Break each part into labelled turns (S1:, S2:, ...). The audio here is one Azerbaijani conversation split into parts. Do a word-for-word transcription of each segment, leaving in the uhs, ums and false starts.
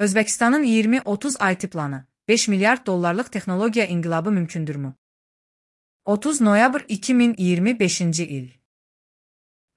S1: Özbekistanın iyirmi otuz I T planı, beş milyard dollarlıq texnologiya inqilabı mümkündürmü? otuz noyabr iki min iyirmi beşinci il.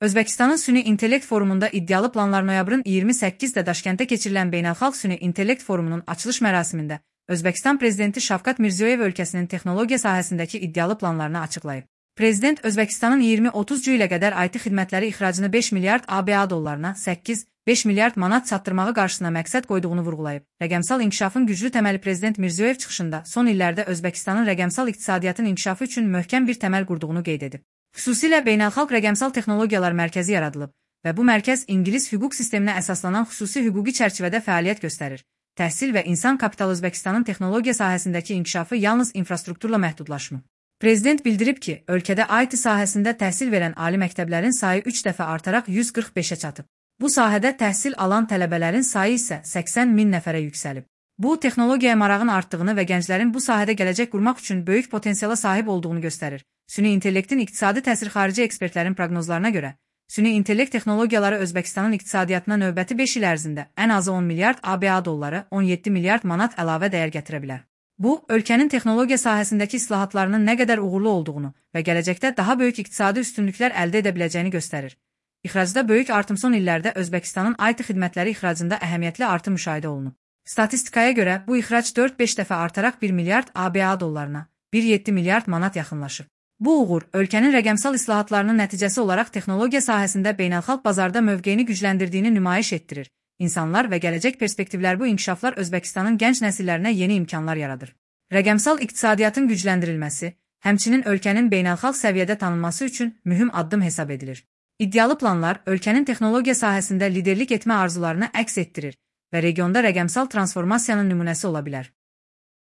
S1: Özbekistanın Süni İntellekt Forumunda iddialı planlar noyabrın iyirmi səkkizdə Daşkəntdə keçirilən Beynəlxalq Süni İntellekt Forumunun açılış mərasimində Özbekistan Prezidenti Şavkat Mirziyoyev ölkəsinin texnologiya sahəsindəki iddialı planlarını açıqlayıb. Prezident Özbekistanın iyirmi otuz ilə qədər I T xidmətləri ixracını beş milyard A B A dollarına, səkkiz beş milyard manat çatdırmağı qarşısına məqsəd qoyduğunu vurğulayıb. Rəqəmsal inkişafın güclü təməli Prezident Mirziyoyev çıxışında son illərdə Özbekistanın rəqəmsal iqtisadiyyatın inkişafı üçün möhkəm bir təməl qurduğunu qeyd edib. Xüsusilə Beynəlxalq Rəqəmsal Texnologiyalar Mərkəzi yaradılıb və bu mərkəz İngilis hüquq sisteminə əsaslanan xüsusi hüquqi çərçivədə fəaliyyət göstərir. Təhsil və insan kapitalı Özbekistanın texnologiya sahəsindəki inkişafı yalnız infrastrukturla məhdudlaşmır. Prezident bildirib ki, ölkədə I T sahəsində təhsil verən ali məktəblərin sayı üç dəfə artaraq yüz qırx beşə çatıb. Bu sahədə təhsil alan tələbələrin sayı isə səksən min nəfərə yüksəlib. Bu, texnologiyaya marağın artdığını və gənclərin bu sahədə gələcək qurmaq üçün böyük potensiala sahib olduğunu göstərir. Süni intellektin iqtisadi təsiri xarici ekspertlərin proqnozlarına görə, süni intellekt texnologiyaları Özbekistanın iqtisadiyyatına növbəti beş il ərzində ən azı on milyard A B A dolları, on yeddi milyard manat əlavə dəyər gətirə bilər. Bu, ölkənin texnologiya sahəsindəki islahatlarının nə qədər uğurlu olduğunu və gələcəkdə daha böyük iqtisadi üstünlüklər əldə edə biləcəyini göstərir. İxracda böyük artım son illərdə Özbekistanın I T xidmətləri ixracında əhəmiyyətli artım müşahidə olunub. Statistikaya görə bu ixrac dörd beş dəfə artaraq bir milyard A B A dollarına, bir yeddi milyard manat yaxınlaşıb. Bu uğur, ölkənin rəqəmsal islahatlarının nəticəsi olaraq texnologiya sahəsində beynəlxalq bazarda mövqeyini gücləndirdiyini nümayiş etdirir. İnsanlar və gələcək perspektivlər bu inkişaflar Özbekistanın gənc nəsillərinə yeni imkanlar yaradır. Rəqəmsal iqtisadiyyatın gücləndirilməsi, həmçinin ölkənin beynəlxalq səviyyədə tanınması üçün mühüm addım hesab edilir. İddialı planlar ölkənin texnologiya sahəsində liderlik etmə arzularını əks etdirir və regionda rəqəmsal transformasiyanın nümunəsi ola bilər.